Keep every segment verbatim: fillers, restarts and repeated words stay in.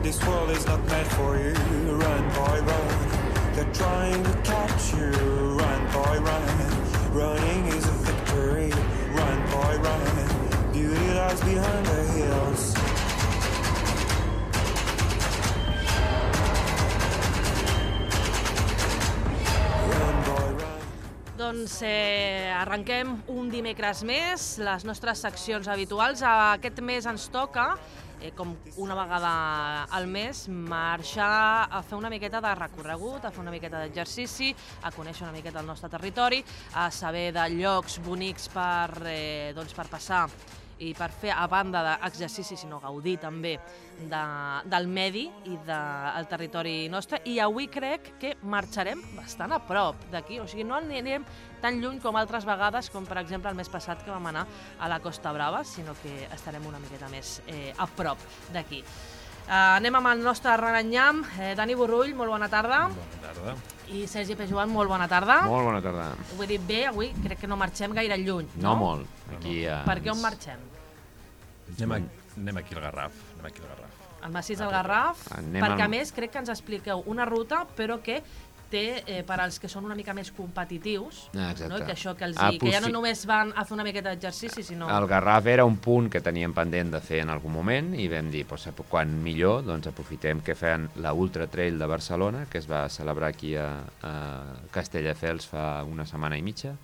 This world is not meant for you. Run, boy, run. They're trying to catch you. Run, boy, run. Running is a victory. Run, boy, run. Beauty lies behind the hills. Doncs eh, arrenquem un dimecres més, les nostres seccions habituals. Aquest mes ens toca, eh, com una vegada al mes, marxar a fer una miqueta de recorregut, a fer una miqueta d'exercici, a conèixer una miqueta el nostre territori, a saber de llocs bonics per, eh, doncs per passar i per fer, a banda d'exercici, sinó gaudir també de, del medi i del territori nostre. I avui crec que marxarem bastant a prop d'aquí, o sigui, no anirem tan lluny com altres vegades, com per exemple el mes passat que vam anar a la Costa Brava, sinó que estarem una miqueta més eh, a prop d'aquí. Uh, anem amb el nostre renanyam. Eh, Dani Borrull, molt bona tarda. Bona tarda. I Sergi Pejoan, molt bona tarda. Molt bona tarda. Ho he dit bé, avui crec que no marxem gaire lluny, no? No molt. Aquí, uh, per què on marxem? Anem, a, anem aquí al Garraf. Anem aquí al Garraf. Al massís del Garraf, Anem perquè a al... més crec que ens expliqueu una ruta, però que té, eh, per als que són una mica més competitius, ah, no? que això que, els ah, hi, que ja no només van a fer una miqueta d'exercici, sinó... El Garraf era un punt que teníem pendent de fer en algun moment i vam dir, doncs, quan millor, doncs aprofitem que feien la Ultra Trail de Barcelona, que es va celebrar aquí a, a Castelldefels fa una setmana i mitja,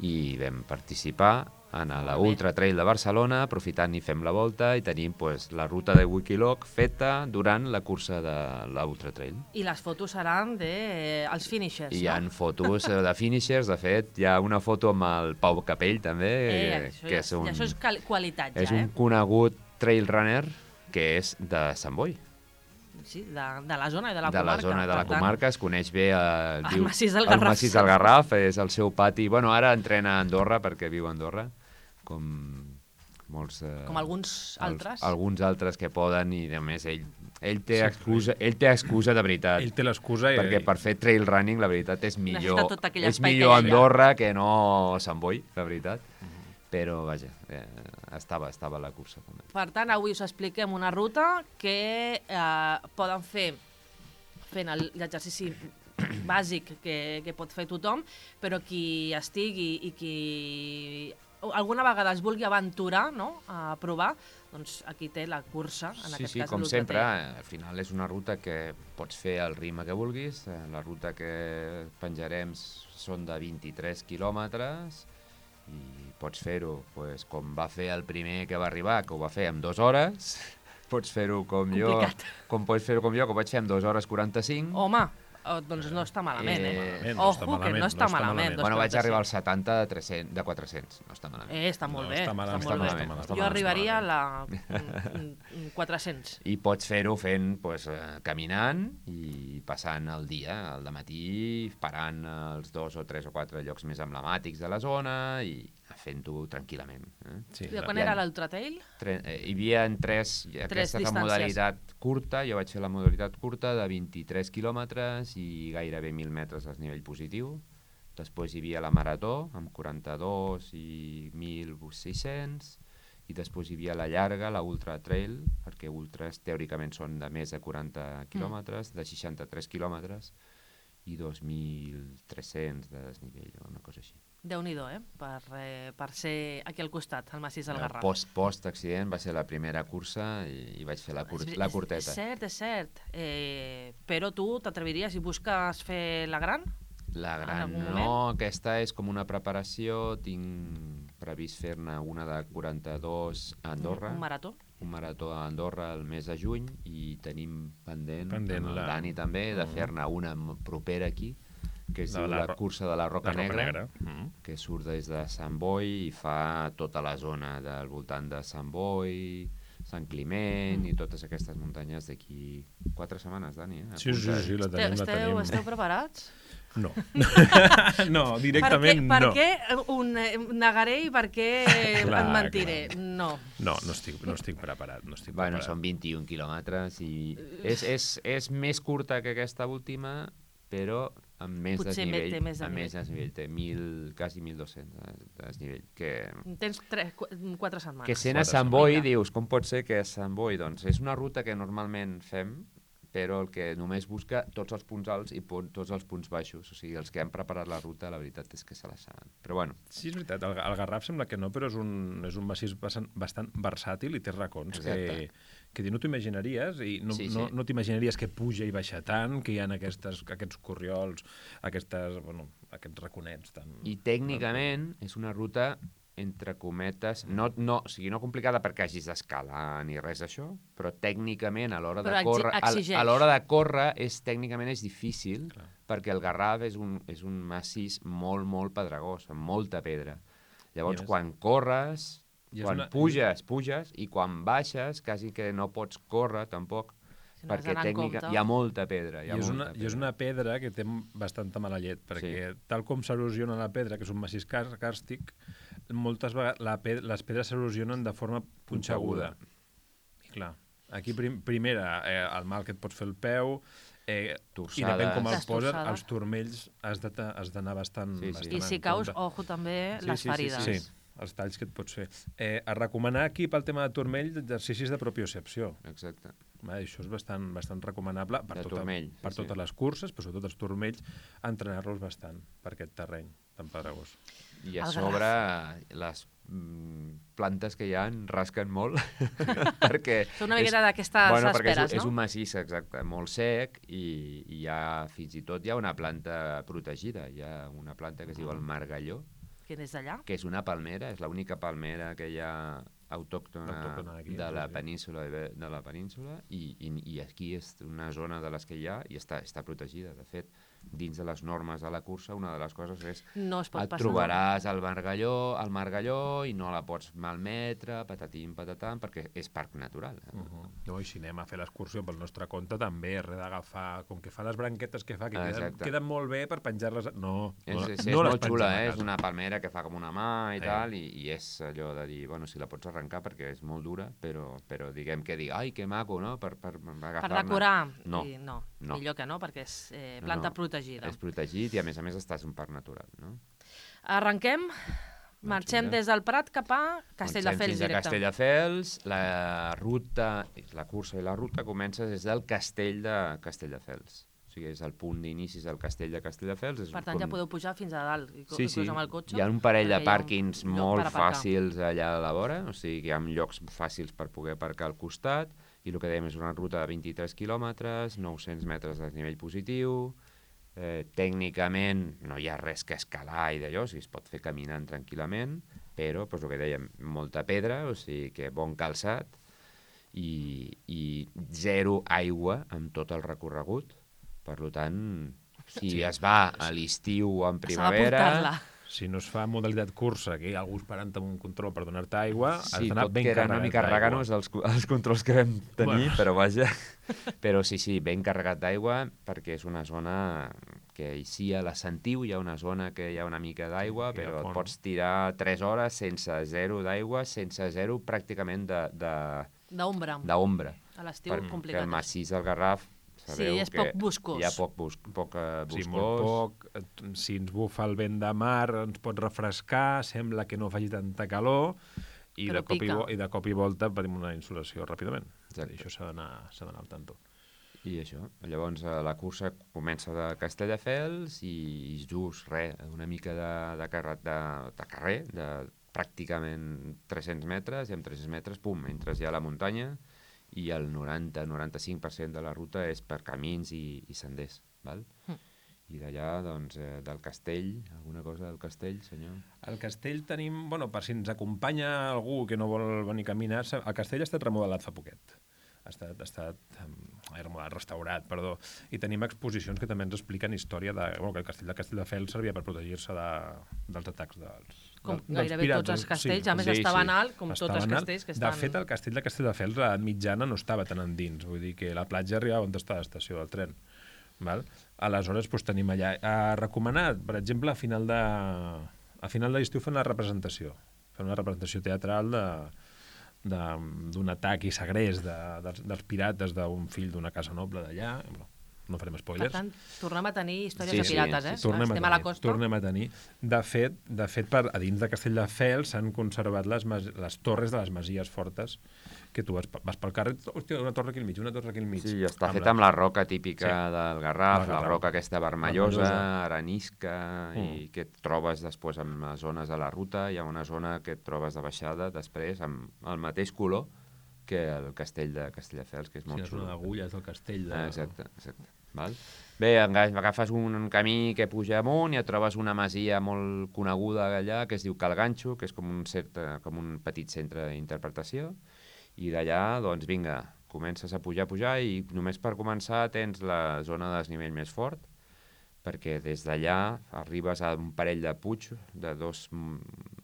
i vam participar en la Ultra Trail de Barcelona, aprofitant i fem la volta i tenim pues, la ruta de Wikiloc feta durant la cursa de la Ultra Trail. I les fotos seran de, eh, els finishers, I hi ha no? fotos de finishers, de fet, hi ha una foto amb el Pau Capell també, Eh, eh, això, que ja, és un, això és qualitat, ja, és un eh? conegut trail runner que és de Sant Boi. Sí, de, de la zona i de la de comarca. la zona i de la Per tant, comarca, es coneix bé eh, el diu, massís del el Garraf. massís del Garraf, és el seu pati. Bueno, ara entrena a Andorra perquè viu a Andorra, com molts... Eh, Com alguns altres. Els, alguns altres que poden i, a més, ell, ell, té, sí, excusa, ell té excusa de veritat. Ell té l'excusa i... Perquè per fer trail running, la veritat, és millor, Necessita tot aquell és espai millor que hi ha. Andorra que no Sant Boi, la veritat. Uh -huh. Però, vaja, eh, estava, estava a la cursa també. Per tant, avui us expliquem una ruta que eh, poden fer fent el- l'exercici bàsic que, que pot fer tothom, però qui estigui i qui alguna vegada es vulgui aventurar, no?, a provar, doncs aquí té la cursa, en Sí, aquest sí, cas com l'Ultra sempre, Trail. al final és una ruta que pots fer al ritme que vulguis. Eh, La ruta que penjarem són de vint-i-tres quilòmetres i pots fer-ho pues, com va fer el primer que va arribar, que ho va fer en dues hores. Pots fer-ho com Complicat. jo, com pots fer-ho com jo, que ho vaig fer en dues hores quaranta-cinc. Home, oh, doncs no està malament, eh? Eh, no està Ojo, que malament, no està no està malament. malament. dos Bueno, vaig quaranta-cinc. arribar als setanta de, tres-cents, de quatre-cents, no està malament. Eh, està molt No, bé, està malament, està està molt bé. malament, està Jo malament, arribaria a està la mm, mm, quatre-cents. I pots fer-ho fent, pues, eh, caminant i passant el dia, al dematí, parant als dos o tres o quatre llocs més emblemàtics de la zona i fent-ho tranquil·lament. Eh? Sí, I quan Ja. era l'Ultra Trail? Tre eh, hi havia en tres, Tres aquesta és la distàncies. modalitat curta, jo vaig fer la modalitat curta de vint-i-tres quilòmetres i gairebé mil metres al nivell positiu. Després hi havia la marató amb quaranta-dos i mil sis-cents i després hi havia la llarga, la Ultra Trail, perquè ultras teòricament són de més de quaranta quilòmetres, de seixanta-tres quilòmetres i dos mil tres-cents de desnivell o una cosa així. Déu-n'hi-do, eh? Per, eh? per ser aquí al costat, al massís del Garraf. Post, post-accident va ser la primera cursa i, i vaig fer la, cur És- la és- curteta. És cert, és cert. Eh, però tu t'atreviries i busques fer la gran? La en gran algun no, moment? aquesta és com una preparació, tinc previst fer-ne una de quaranta-dos a Andorra, Un, un marató? un marató a Andorra el mes de juny i tenim pendent, Pendent amb el la- Dani també, de Mm. fer-ne una m- propera aquí, que es De diu la la, Ro- cursa de la Roca, La Roca Negra, Negra. Mm. que surt des de Sant Boi i fa tota la zona del voltant de Sant Boi, Sant Climent Mm. i totes aquestes muntanyes d'aquí quatre setmanes, Dani. Eh? Sí, sí, sí, la tenim, la Esteu, tenim. esteu preparats? No. no, directament per no. què, per què un, eh, negaré i per què Clar, en mentiré? clar. No. No, no estic, no estic preparat. No estic Bueno, preparat. són vint-i-un quilòmetres i és, és, és més curta que aquesta última, però amb més Potser desnivell, té més amb desnivell. més desnivell, té mil, quasi mil dos-cents de desnivell, que, Tens tres, qu- quatre setmanes. que sent a Quatre Sant Boi setmanes. dius, com pot ser que a Sant Boi, doncs és una ruta que normalment fem, però el que només busca tots els punts alts i pon, tots els punts baixos, o sigui, els que han preparat la ruta, la veritat és que se la saben. Però bueno, Sí, és veritat, el, el Garraf sembla que no, però és un, és un massís bastant, bastant versàtil i té racons que, Exacte. que no t'ho imaginaries i no, Sí, no, sí. no t'imaginaries que puja i baixa tant, que hi ha aquestes, aquests corriols, aquestes, bueno, aquests raconets tan... i tècnicament és una ruta entre cometes, no, no, o sigui, no complicada perquè hagis d'escalar ni res d'això, però tècnicament a l'hora de Però exi- córrer, a, exigeix. a l'hora de córrer és tècnicament és difícil, Clar. perquè el Garraf és un, és un massís molt, molt pedregós, amb molta pedra. Llavors, I és- quan corres, I és quan una- puges, puges, i quan baixes, quasi que no pots córrer tampoc, Si no has perquè d'anar en tècnica, compte. hi ha molta pedra. Hi I ha és, molta una, pedra. I és una pedra que té bastanta mala llet, perquè sí. tal com s'erosiona la pedra, que és un massís car càrstic, moltes vegades la ped les pedres s'erosionen de forma punxeguda. I clar, aquí prim primera, eh, el mal que et pots fer el peu, eh, i depèn com el Les poses, torçades. els turmells has de ta- has d'anar bastant, Sí, sí. bastant I si en caus, compte. ojo també Sí, les sí, sí, ferides. Sí, els talls que et pots fer. Eh, a recomanar aquí pel tema de turmell exercicis de propiocepció. Exacte. Va, això és bastant, bastant recomanable per, De tota, turmell, sí, per sí. totes les curses, però sobretot els turmells, entrenar-los bastant per aquest terreny tan pedregós. I a El sobre les mm, plantes que hi ha rasquen molt perquè... Són una miqueta d'aquestes bueno, perquè esperes, és, és no? un massís, exacte, molt sec i, i hi ha, fins i tot hi ha una planta protegida, hi ha una planta que es diu el margalló, Que des d'allà. que és una palmera, és l'única palmera que hi ha autòctona, Autòctona aquí, de, la sí. península, de, de la península i, i, i aquí és una zona de les que hi ha i està, està protegida. De fet, dins de les normes de la cursa, una de les coses és No es pot et passar. trobaràs al margalló, al margalló i no la pots malmetre, patatim, patatam, perquè és parc natural. Uh -huh. No, i si anem a fer l'excursió pel nostre compte, també res d'agafar, com que fa les branquetes que fa, que queden, Exacte. queden molt bé per penjar-les... No, És, no, és, és no les molt pengem xula, a eh? És casa. una palmera que fa com una mà i Eh. tal, i, i és allò de dir, bueno, si la pots arrencar perquè és molt dura, però, però diguem que dic, ai, que maco, no?, per, per, per Per agafar-ne. decorar. No, I no, no. millor que no, perquè és eh, No, planta no, protegida. És protegit i, a més a més, estàs en un parc natural, no? Arrenquem, marxem vinga. des del Prat cap a Marxem Castelldefels fins a directe. Castelldefels, la ruta, la cursa i la ruta comença des del castell de Castelldefels. O sigui, és el punt d'inicis del castell de Castelldefels. És Per tant, ja com- podeu pujar fins a dalt, i- Sí, sí. inclús amb el cotxe. Hi ha un parell de perquè hi ha un pàrquings lloc molt per aparcar. fàcils allà a la vora, o sigui que hi ha llocs fàcils per poder aparcar al costat, i el que dèiem és una ruta de vint-i-tres quilòmetres, nou-cents metres de desnivell positiu, eh, tècnicament no hi ha res que escalar i d'allò, o sigui, es pot fer caminant tranquil·lament, però, doncs, el que dèiem, molta pedra, o sigui que bon calçat, i, i zero aigua amb tot el recorregut. Per tant, si Sí. es va a l'estiu o en S'ha de primavera... portar-la. Si no es fa modalitat cursa, que hi ha algú esperant amb un control per donar-te aigua, has Sí, d'anar tot ben que era carregat una mica d'aigua. raganos els, els controls que vam tenir, Bueno. però vaja. Però sí, sí, ben carregat d'aigua, perquè és una zona que sí, a la Sentiu hi ha una zona que hi ha una mica d'aigua, Que hi ha però et font. pots tirar tres hores sense zero d'aigua, sense zero pràcticament de- de- D'ombra. d'ombra. A l'estiu Perquè complicat. el massís del Garraf, sabeu Sí, és que poc boscós. hi ha poc, bus poc eh, boscós. Sí, molt poc. Et- Si ens bufa el vent de mar, ens pot refrescar, sembla que no faci tanta calor, i Però de, cop i, pica. vo i de cop i volta patim una insolació ràpidament. Exacte. I això s'ha d'anar s'ha d'anar al tanto. I això, llavors eh, la cursa comença de Castelldefels i just, res, una mica de, de, carrer, de, de carrer, de pràcticament tres-cents metres, i amb tres-cents metres, pum, entres ja a la muntanya, i el noranta a noranta-cinc per cent de la ruta és per camins i, i senders, val? Mm. I d'allà, doncs, eh, del castell, alguna cosa del castell, senyor? Al castell tenim, bueno, per si ens acompanya algú que no vol venir a caminar, sa- el castell ha estat remodelat fa poquet. Ha estat, ha estat um, remodelat, restaurat, perdó. I tenim exposicions que també ens expliquen història de... Bueno, que el castell de Castelldefels servia per protegir-se de, dels atacs dels, Com del- dels gairebé pirats. tots els castells, a més sí, estaven sí. alt, com tots Estaven els alt. castells que De estan... fet, el castell de Castelldefels, a mitjana, no estava tan endins. Vull dir que la platja arribava on està l'estació del tren. Val? Aleshores, doncs, tenim allà... A recomanar, per exemple, a final de, a final de l'estiu fer una representació. Fer una representació teatral de d'un atac i segrest de, dels, dels pirates d'un fill d'una casa noble d'allà. no farem Per spoilers. tant, tornem a tenir històries Sí, de pirates, sí, eh? sí. Tornem, a Estem tenir, a la costa. tornem a tenir. De fet, de fet per, a dins de Castelldefels s'han conservat les, mas, les torres de les masies fortes, que tu vas, vas pel carrer, hòstia, una torre aquí al mig, una torre aquí al mig. Sí, està Amb fet la- amb la roca típica Sí. del Garraf, Del la Garraf. roca aquesta vermellosa, Vermellosa. arenisca, Mm. i que et trobes després en les zones de la ruta. Hi ha una zona que et trobes de baixada després amb el mateix color que el castell de Castelldefels, que és Sí, molt la zona xulo. d'agulles del castell. De... Ah, exacte, exacte. Val? Bé, aga- agafes un camí que puja amunt i et trobes una masia molt coneguda allà que es diu Cal Ganxo, que és com un, cert, com un petit centre d'interpretació, i d'allà, doncs vinga, comences a pujar, a pujar, i només per començar tens la zona de desnivell més fort, perquè des d'allà arribes a un parell de puig, de dos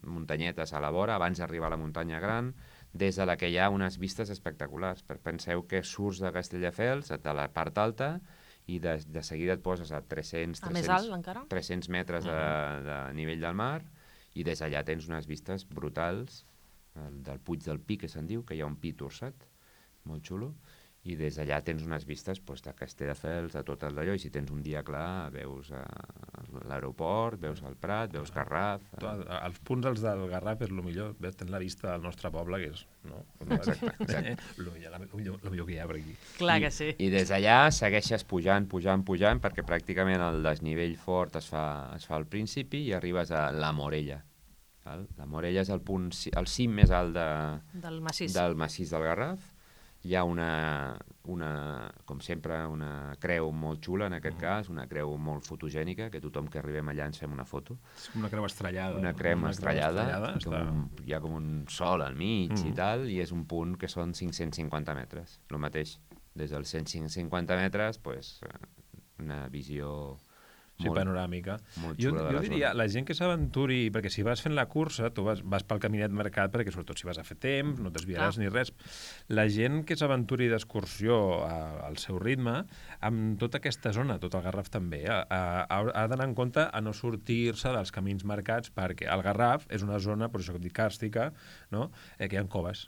muntanyetes a la vora, abans d'arribar a la muntanya gran, des de la que hi ha unes vistes espectaculars. Penseu que surts de Castelldefels, de la part alta, i de, de seguida et poses a tres-cents, A més alt, encara? tres-cents metres de, de nivell del mar, i des d'allà tens unes vistes brutals, el, del Puig del Pi, que se'n diu, que hi ha un pi torçat, molt xulo, i des d'allà tens unes vistes doncs, de Castelldefels, de tot el d'allò, i si tens un dia clar veus uh, l'aeroport, veus el Prat, veus Garraf... Tu, els punts els del Garraf és el millor, ves, tens la vista del nostre poble, que és no? Exacte, exacte. el millor, el millor, el millor que hi ha per aquí. Clar I, que sí. I des d'allà segueixes pujant, pujant, pujant, perquè pràcticament el desnivell fort es fa, es fa al principi i arribes a la Morella. Val? La Morella és el, punt, el cim més alt de, Del massís. del massís del Garraf. Hi ha una, una, com sempre, una creu molt xula, en aquest cas, una creu molt fotogènica, que tothom que arribem allà ens fem una foto. És com una creu estrellada. Una creu Una estrellada, estrellada com està... un, hi ha com un sol al mig Mm. i tal, i és un punt que són cinc-cents cinquanta metres, el mateix. Des dels cent cinquanta metres, pues, una visió Sí, molt, panoràmica. molt Jo, xula de jo la diria, zona. la gent que s'aventuri, perquè si vas fent la cursa, tu vas, vas pel caminet marcat, perquè sobretot si vas a fer temps, no et desviaràs Clar. ni res. La gent que s'aventuri d'excursió a- al seu ritme, amb tota aquesta zona, tot el Garraf també, ha, ha, ha d'anar en compte a no sortir-se dels camins marcats, perquè el Garraf és una zona, per això que et dic, càrstica, no? eh, que hi ha coves.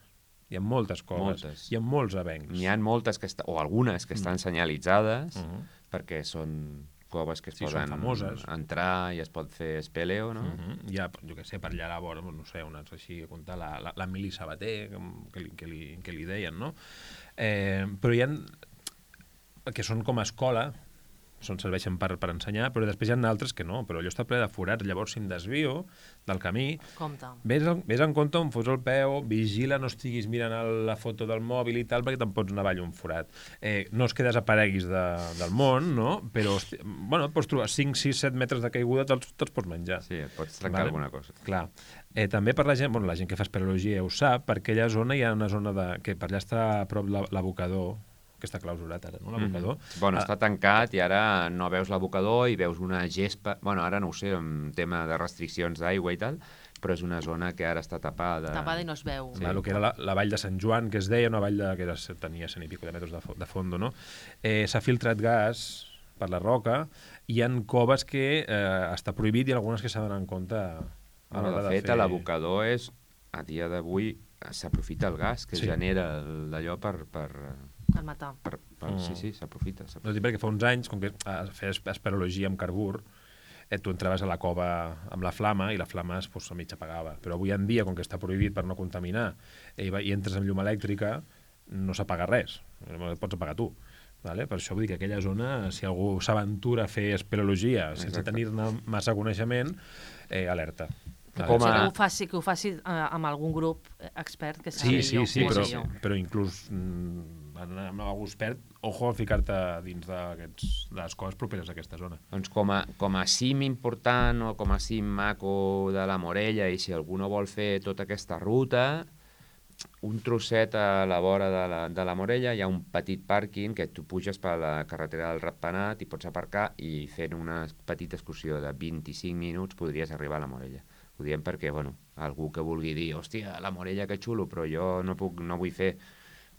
Hi ha moltes coves. Moltes. Hi ha molts avencs. N'hi ha moltes, que est o algunes que estan senyalitzades, Mhm. perquè són coves que es Sí, són poden famoses. entrar i es pot fer espeleo, no? Mhm. Hi ha, jo què sé, per allà a la vora, no sé, unes així, a comptar, la, la, la Mili Sabater, que, que, li, que, li, que li deien, no? Eh, però hi ha que són com a escola, són, serveixen per, per ensenyar, però després hi ha altres que no, però allò està ple de forats, llavors si em desvio del camí, Compte. Ves, ves en compte on fos el peu, vigila, no estiguis mirant el, la foto del mòbil i tal, perquè te'n pots anar avall un forat. Eh, no és que desapareguis de, del món, no? Però, hosti, bueno, pots trobar cinc, sis, set metres de caiguda, te'ls te pots menjar. Sí, et pots trencar Vale. alguna cosa. Clar. Eh, també per la gent, bueno, la gent que fa espeleologia ho sap, per aquella zona hi ha una zona de, que per allà està a prop la- l'abocador, que està clausurat ara, no? L'abocador. Mhm. Bueno, està tancat i ara no veus l'abocador i veus una gespa... Bueno, ara no ho sé, en tema de restriccions d'aigua i tal, però és una zona que ara està tapada. Tapada i no es veu. Sí. El que era la, la vall de Sant Joan, que es deia, una vall de, que era, tenia cent i pico de metres de, fo- de fondo, no? Eh, S'ha filtrat gas per la roca, hi ha coves que eh, està prohibit i algunes que s'ha d'anar en compte a Bueno, l'hora de fet, fer... l'abocador és, a dia d'avui, s'aprofita el gas que Sí. sí. genera el- d'allò per... per, El matar. per, per Mm. Sí, sí, s'aprofita. No s'aprofita. dic perquè fa uns anys, com que eh, feies esperologia amb carbur, eh, tu entraves a la cova amb la flama i la flama es, pues, a mig apagava. Però avui en dia, com que està prohibit per no contaminar, eh, i, va- i entres amb llum elèctrica, no s'apaga res. El pots apagar tu. Vale? Per això vull dir que aquella zona, si algú s'aventura a fer espeleologia sense Exacte. tenir-ne massa coneixement, eh, alerta. Vale? Com Potser a- que ho faci, que ho faci eh, amb algun grup expert que Sí, sàpiga sí, o sí, que ho però, sé jo. però inclús mm, amb algú expert, ojo a ficar-te dins d'aquests- de les coses properes a aquesta zona. Doncs com a, com a cim important o com a cim maco de la Morella, i si algú no vol fer tota aquesta ruta, un trosset a la vora de la, de la Morella hi ha un petit pàrquing que tu puges per la carretera del Ratpenat i pots aparcar, i fent una petita excursió de vint-i-cinc minuts podries arribar a la Morella. Ho diem perquè, bueno, algú que vulgui dir, hòstia, la Morella que xulo, però jo no, puc, no vull fer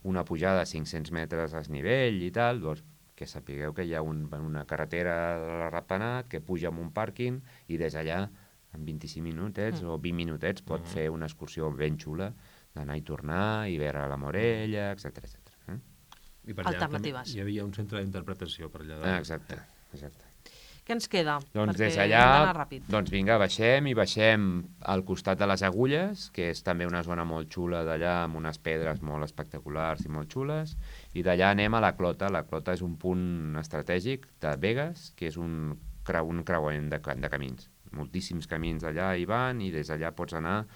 una pujada de cinc-cents metres a desnivell i tal, doncs que sapigueu que hi ha un, una carretera de la Ratpenat que puja amb un pàrquing i des allà, en vint-i-cinc minutets mm. o vint minutets, pot mm. fer una excursió ben xula d'anar i tornar i veure la Morella, etcètera etcètera. Eh? I per allà alternatives. Hi havia un centre d'interpretació per allà. Ah, exacte, exacte. Què ens queda? Doncs Perquè des hem d'allà, d'anar ràpid. doncs vinga, baixem i baixem al costat de les Agulles, que és també una zona molt xula d'allà, amb unes pedres molt espectaculars i molt xules, i d'allà anem a la Clota. La Clota és un punt estratègic de Begues, que és un, creu, un creuament de, de camins. Moltíssims camins allà hi van, i des d'allà pots anar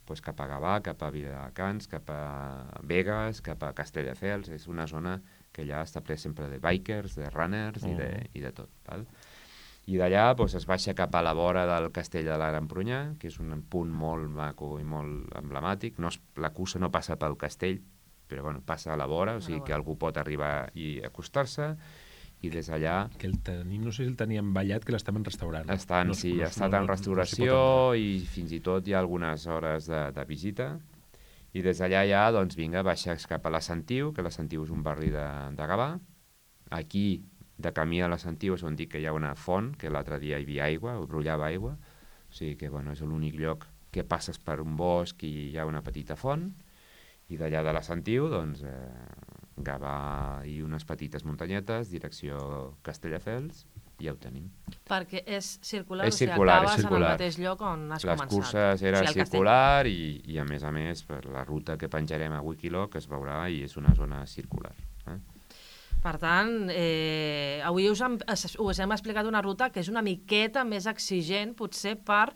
doncs, cap a Gavà, cap a Viladecans, cap a Begues, cap a Castelldefels. És una zona que allà està ple sempre de bikers, de runners uh -huh. i, de, i de tot, val? I d'allà doncs, es baixa cap a la vora del Castell de la Gran Prunyà, que és un punt molt maco i molt emblemàtic. No es, la cursa no passa pel castell, però bueno, passa a la vora, o sigui que algú pot arribar i acostar-se, i des d'allà... Que el tenim, no sé si el teníem ballat, que l'estaven restaurant. Estan, no, sí, no, ha estat no, en restauració no, no i fins i tot hi ha algunes hores de, de visita. I des d'allà ja, doncs vinga, baixes cap a la Sentiu, que la Sentiu és un barri de, de Gavà. Aquí, de camí a la Sentiu, és on dic que hi ha una font, que l'altre dia hi havia aigua, o brollava aigua. O sigui que, bueno, és l'únic lloc que passes per un bosc i hi ha una petita font. I d'allà de la Sentiu, doncs, eh, Gavà i unes petites muntanyetes, direcció Castelldefels, i ja ho tenim. Perquè és circular, És o sigui, circular, acabes és circular. en el mateix lloc on has Les començat. curses era o sigui, circular i, i, a més a més, per la ruta que penjarem a Wikiloc es veurà i és una zona circular. Eh? Per tant, eh, avui us hem, us hem explicat una ruta que és una miqueta més exigent, potser per,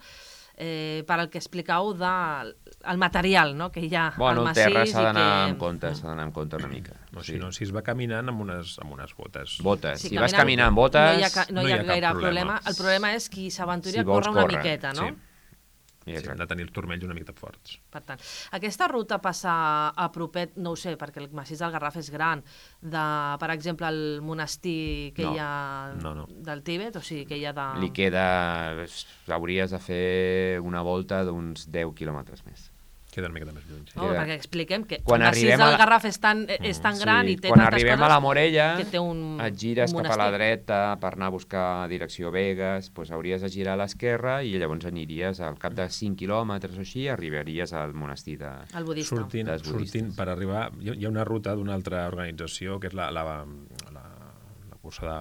eh, per el que expliqueu del el material, no?, que hi ha Bueno, al el massís. terra s'ha d'anar que... amb compte, s'ha d'anar amb compte una mica. No, sí. si no, si es va caminant amb unes, amb unes botes. Botes. Sí, si vas caminar amb botes... No hi ha, no hi ha, no hi ha cap gaire problema. problema. El problema és qui s'aventuri Si a vols córrer una córrer, miqueta, no? Sí. Sí, hem de tenir els turmells una miqueta forts. Per tant, aquesta ruta passa a propet, no ho sé, perquè el massís del Garraf és gran, de, per exemple, el monestir que No, hi ha no, no. del Tíbet, o sigui, que hi ha de... Li queda... Hauries de fer una volta d'uns deu quilòmetres més. Queda una miqueta més lluny. Sí. No, queda- perquè expliquem que Quan el massís arribem a del la- Garraf és tan, és tan gran i té quan tantes arribem coses a la Morella, que té un, et gires un cap a la monestir. dreta per anar a buscar direcció Begues, doncs hauries de girar a l'esquerra i llavors aniries al cap de cinc quilòmetres o així, arribaries al monestir de... El budista. Sortint, dels budistes. sortint per arribar... Hi ha- hi ha una ruta d'una altra organització, que és la, la, la, la cursa de...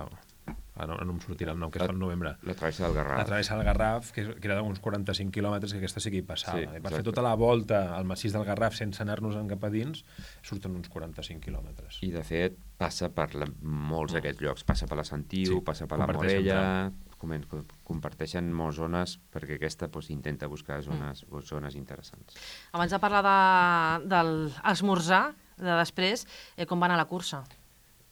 Ah, no, no em sortirà el nom, que es fa al novembre. La travessa del Garraf. La travessa del Garraf, que, que era d'uns quaranta-cinc quilòmetres, que aquesta sí que hi passava. Sí, Sí, per exacte. fer tota la volta al massís del Garraf sense anar-nos en cap a dins, surten uns quaranta-cinc quilòmetres. I, de fet, passa per la, molts d'aquests llocs. Passa per la Sentiu, Sí, passa per la comparteixen Morella... comen- co- comparteixen moltes zones perquè aquesta doncs, intenta buscar zones, mm. zones interessants. Abans de parlar de, del esmorzar, de després, eh, com va anar la cursa?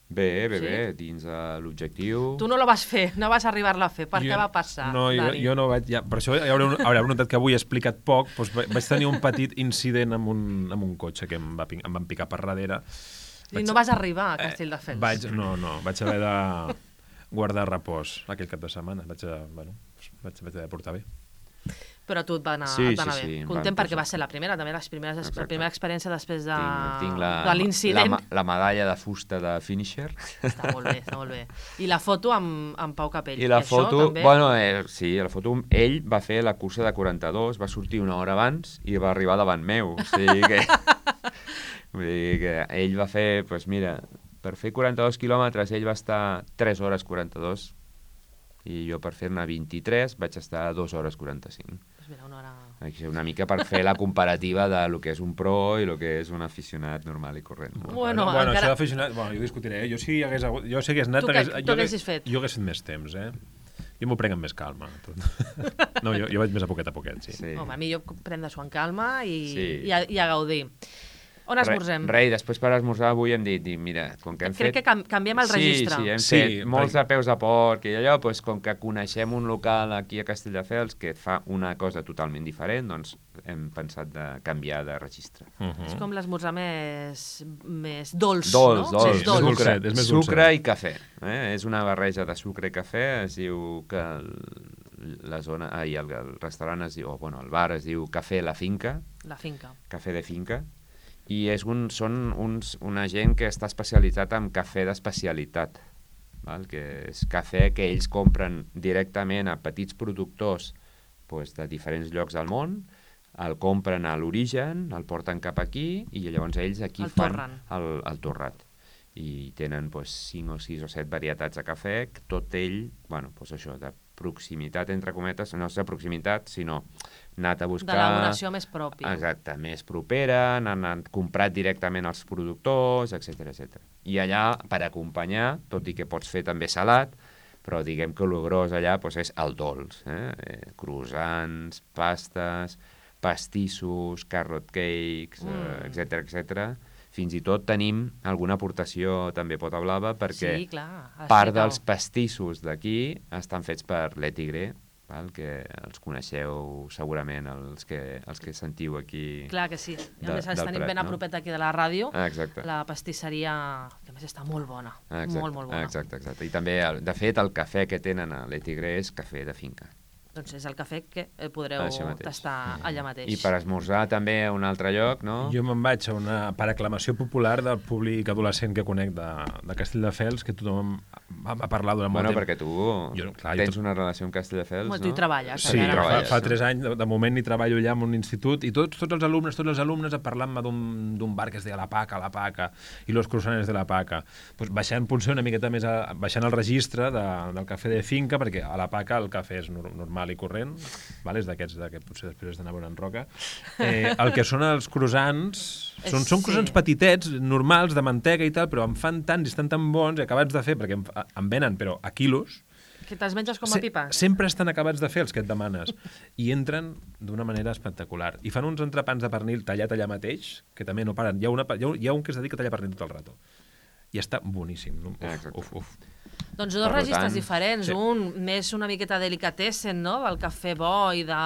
Bé, bé, Sí? bé, dins de l'objectiu... Tu no la vas fer, no vas arribar-la a fer. Per Jo- què va passar, No, jo, Dani? jo no vaig... Ja, per això ja haureu, haureu notat que avui he explicat poc, doncs va- vaig tenir un petit incident amb un, amb un cotxe que em, va, pin- em van picar per darrere. I no vas arribar a Castelldefels. Eh, vaig, no, no, vaig haver de guardar repòs aquell cap de setmana. Vaig, a, bueno, vaig, vaig haver de portar bé. Però tu et va anar, Sí, et va anar sí, bé. sí, em Content van perquè posar. va ser la primera, també les primeres, la Exacte. primera experiència després de, Tinc, tinc la, de l'incident. la, ma- la medalla de fusta de finisher. Està molt bé, està molt bé. I la foto amb, amb Pau Capell. I la això, foto, també... bueno, eh, sí, la foto, ell va fer la cursa de quaranta-dos, va sortir una hora abans i va arribar davant meu. O sigui que, vull dir que ell va fer, doncs mira, per fer quaranta-dos quilòmetres ell va estar tres hores quaranta-dos i jo per fer-ne vint-i-tres vaig estar dues hores quaranta-cinc. Pues mira, una hora... Així, una mica per fer la comparativa de lo que és un pro i lo que és un aficionat normal i corrent. No? Bueno, bueno encara- això d'aficionat... Bueno, jo discutiré. Eh? Jo si hagués, hagut, jo si hagués anat... Tu què- hagués, tu jo, hagués, haguessis fet? jo hagués fet més temps, eh? Jo m'ho prenc amb més calma. Tot. No, jo, jo vaig més a poquet a poquet, sí. Sí. Home, a mi jo prendre-s'ho en calma i, Sí. i, a, i a gaudir. On esmorzem? Re, re, i després per esmorzar avui hem dit, dit mira, com que hem Crec fet... que cam canviem el registre. Sí, sí, hem Sí, fet molts perquè- de peus a porc i allò, doncs, com que coneixem un local aquí a Castelldefels que fa una cosa totalment diferent, doncs hem pensat de canviar de registre. Uh -huh. És com l'esmorzar més, més dolç, Dolç, no? dolç, Més és dolç. dolç. sucre, dolçet, és més sucre dolçet. i cafè. Eh? És una barreja de sucre i cafè, es diu que el, la zona, ai, el, el restaurant es diu, o bueno, el bar es diu Cafè La Finca, La finca. cafè de finca, i és un, són uns, una gent que està especialitzat en cafè d'especialitat, val? Que és cafè que ells compren directament a petits productors pues, de diferents llocs del món, el compren a l'origen, el porten cap aquí i llavors ells aquí El fan torren. el, el torrat. i tenen doncs, cinc o sis o set varietats de cafè, tot ell, bueno, doncs això, de proximitat, entre cometes, no és de proximitat, sinó anat a buscar... D'elaboració més pròpia. Exacte, més propera, han, han comprat directament els productors, etcètera, etcètera. I allà, per acompanyar, tot i que pots fer també salat, però diguem que el gros allà doncs, és el dolç, eh? eh croissants, pastes, pastissos, carrot cakes, mm. eh, etcètera, etcètera. Fins i tot tenim alguna aportació també Pota Blava, perquè sí, clar, part dels pastissos d'aquí estan fets per Le Tigre, val? Que els coneixeu segurament els que, els que sentiu aquí. Clar que sí. I a de, més els tenim Prat, ben a propet aquí de la ràdio. Ah, exacte. La pastisseria, que a més està molt bona. Exacte, molt, molt bona. Exacte, exacte. I també, de fet, el cafè que tenen a Le Tigre és cafè de finca. Doncs és el cafè que podreu tastar allà mateix. I per esmorzar també a un altre lloc, no? Jo me'n vaig a una per aclamació popular del públic adolescent que conec de, de Castelldefels, que tothom va, va parlar durant bueno, molt temps. Bueno, perquè tu jo, clar, tens jo... una relació amb Castelldefels, bueno, no? Tu hi treballes. Sí, fa, fa tres anys, de, de moment hi treballo allà en un institut, i tots, tots els alumnes, tots els alumnes parlant-me d'un bar que es deia La Paca, La Paca, i los croissants de La Paca. Pues baixant potser una miqueta més, a, baixant el registre de, del cafè de finca, perquè a La Paca el cafè és normal i corrent, vale? És d'aquests que potser després d'anar a veure en Roca. Eh, el que són els croissants, són, són croissants sí. petitets, normals, de mantega i tal, però em fan tants i estan tan bons i acabats de fer, perquè em, em venen, però a quilos. Que te'ls menges com a pipa. Se, sempre estan acabats de fer els que et demanes. I entren d'una manera espectacular. I fan uns entrepans de pernil tallat allà mateix, que també no paren. Hi ha, una, hi ha, hi ha un que es dedica a tallar pernil tot el rato. I està boníssim. Uf, Exacte. uf, uf. Doncs dos registres tant, diferents, sí. Un més una miqueta delicatessen, no?, del cafè bo i, de,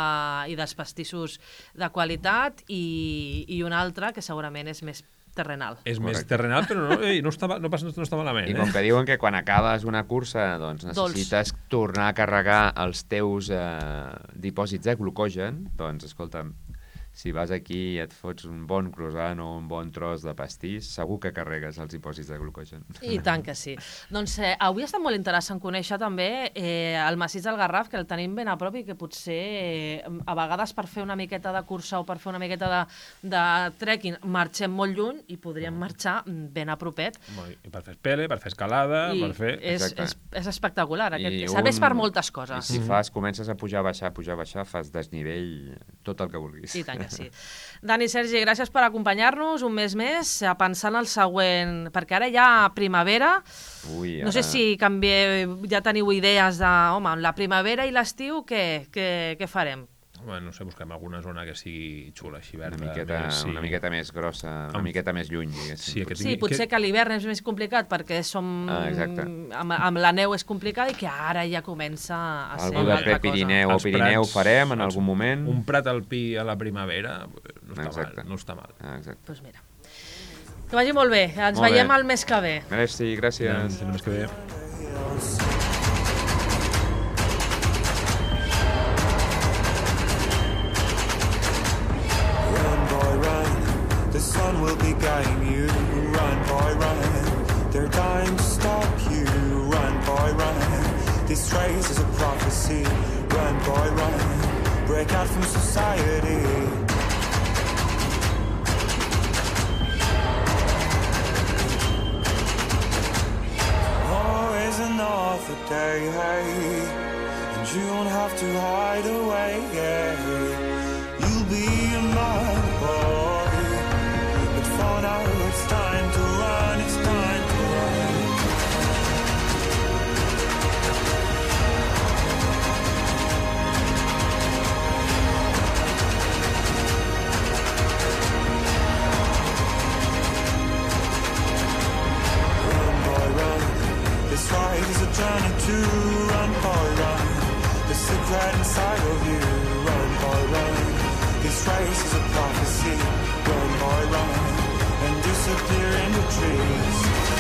i dels pastissos de qualitat, i, i un altre que segurament és més terrenal. És Correcte. Més terrenal, però no, ei, no, està, no, passa, no està malament. I eh? com que diuen que quan acabes una cursa doncs necessites Dolç. tornar a carregar els teus eh, dipòsits de glucogen, doncs escolta'm, si vas aquí i et fots un bon croissant o un bon tros de pastís, segur que carregues els dipòsits de glucogen. I tant que sí. Doncs eh, avui està molt interessant conèixer també eh, el massís del Garraf, que el tenim ben a prop i que potser eh, a vegades per fer una miqueta de cursa o per fer una miqueta de, de trekking marxem molt lluny i podríem marxar ben a propet. I per fer pele, per fer escalada, I per fer... És, és, és espectacular. Aquest. Un... Serveix per moltes coses. I si fas, comences a pujar, baixar, pujar, baixar, fas desnivell, tot el que vulguis. I tant que sí. Dani, Sergi, gràcies per acompanyar-nos un mes més, pensant el següent, perquè ara hi ha primavera. Ui, ara... No sé si canvie, ja teniu idees de, home, la primavera i l'estiu, què, què, què farem? Bueno, no sé, busquem alguna zona que sigui xula, així verda. Una miqueta, més, sí. una miqueta més grossa, una amb... miqueta més lluny, diguéssim. Sí, que tingui... sí potser que, que l'hivern és més complicat perquè som... Ah, amb, amb la neu és complicat i que ara ja comença a ser algú de Pirineu o Pirineu prats, farem en algun moment. Un prat alpí a la primavera no està exacte. mal. No està mal. Ah, exacte. Doncs mira, que vagi molt bé. Ens molt veiem bé. el mes que ve. Merci, gràcies. Ja, el mes que ve. The sun will be guiding you, run boy run. They're dying to stop you, run boy run. This race is a prophecy, run boy run. Break out from society. Oh, is another day, hey, and you don't have to hide away, yeah. You'll be a man, boy. For now it's time to run, it's time to run. Run, boy, run. This ride is a journey to run, boy, run. The secret inside of you, run, boy, run. This race is a prophecy, run, boy, run. And disappear in the trees.